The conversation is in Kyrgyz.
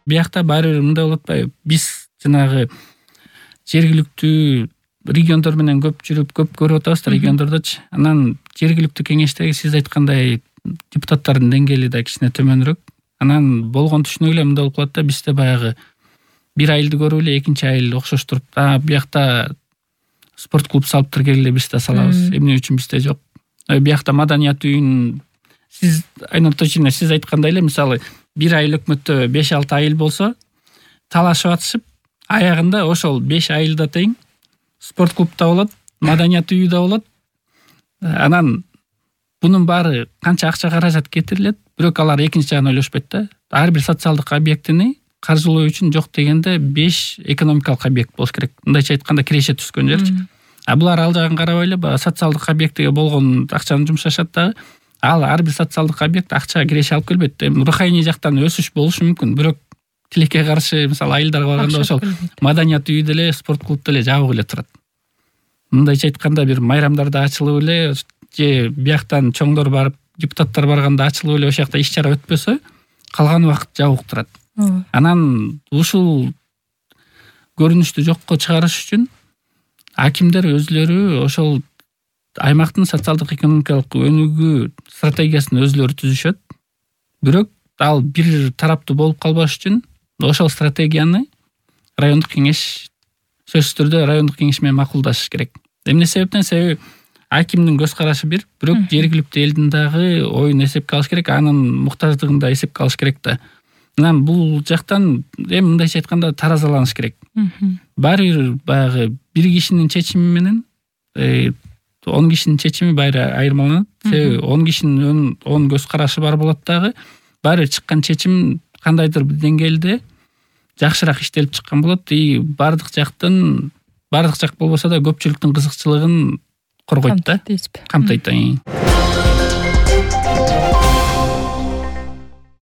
биякта баары бир мындай болуп атпайбы? Биз жанагы жергиликтүү региондор менен көп жүрүп, көп көрүп атабыз да региондордочу. Анан жергиликтүү кеңештеги сиз айткандай депутаттардын деңгээли да кичине төмөнүрөөк. Анан болгон түшүнүк эле мындай болуп калат да, бизде баягы бир айылды көрүп эле экинчи айыл окшоштуруп, биякта спорт клуб салып келгиле биз да салабыз. Эмне үчүн бизде жок? Биякта маданият үйүн сиз айна точно сиз айткандай эле, мисалы бир айыл өкмөттө 5-6 айыл болсо, талашып атышып, аягында ошол 5 айылда тең спорт клуб да болот, маданият үйү да болот. Анан бунун баары канча акча каражат кетирилет, бирок алар экинчи жагын ойлошпойт да. Ар бир социалдык объектини каржылоо үчүн жок дегенде 5 экономикалык объект болуш керек. Мындайча айтканда киреше түскөн жерчи. Булар ал жагын карабай эле баягы социалдык объектиге болгон акчаны жумшашат дагы. Ал ар бир социалдык объект акча киреше алып келбейт. Руханий жактан өсүш болушу мүмкүн, бирок тилекке каршы мисалы айылдарга барганда ошол маданият үйү деле, спорт клуб деле жабык эле турат. Мындайча айтканда бир майрамдарда ачылып эле же бияктан чоңдор барып, депутаттар барганда ачылып эле ошол жакта иш чара өтпөсө, калган убакыт жабык турат. Анан ушул көрүнүштү жокко чыгарыш үчүн акимдер өзлөрү ошол аймактын социалдык экономикалык өнүгүү стратегиясын өзлөрү түзүшөт. Бирок ал бир тараптуу болуп калбаш үчүн ошол стратегияны райондук кеңеш сөзсүз түрдө райондук кеңеш менен макулдашы керек. Эмне себептен? Себеби акимдин көз карашы бир, бирок жергиликтүү элдин дагы оюн эсепке алыш керек, анын муктаждыгын да эсепке алыш керек да. Анан бул жактан мындайча айтканда таразаланыш керек. Баары бир баягы бир кишинин чечими менен 10 кишинин чечими баары айырмаланат. Себеби 10 кишинин 10 көз карашы бар болот дагы. Баары чыккан чечим кандайдыр бир деңгээлде жакшыраак иштелип чыккан болот. Бардык жак болбосо да көпчүлүктүн кызыкчылыгын коргойт да, камтойт да.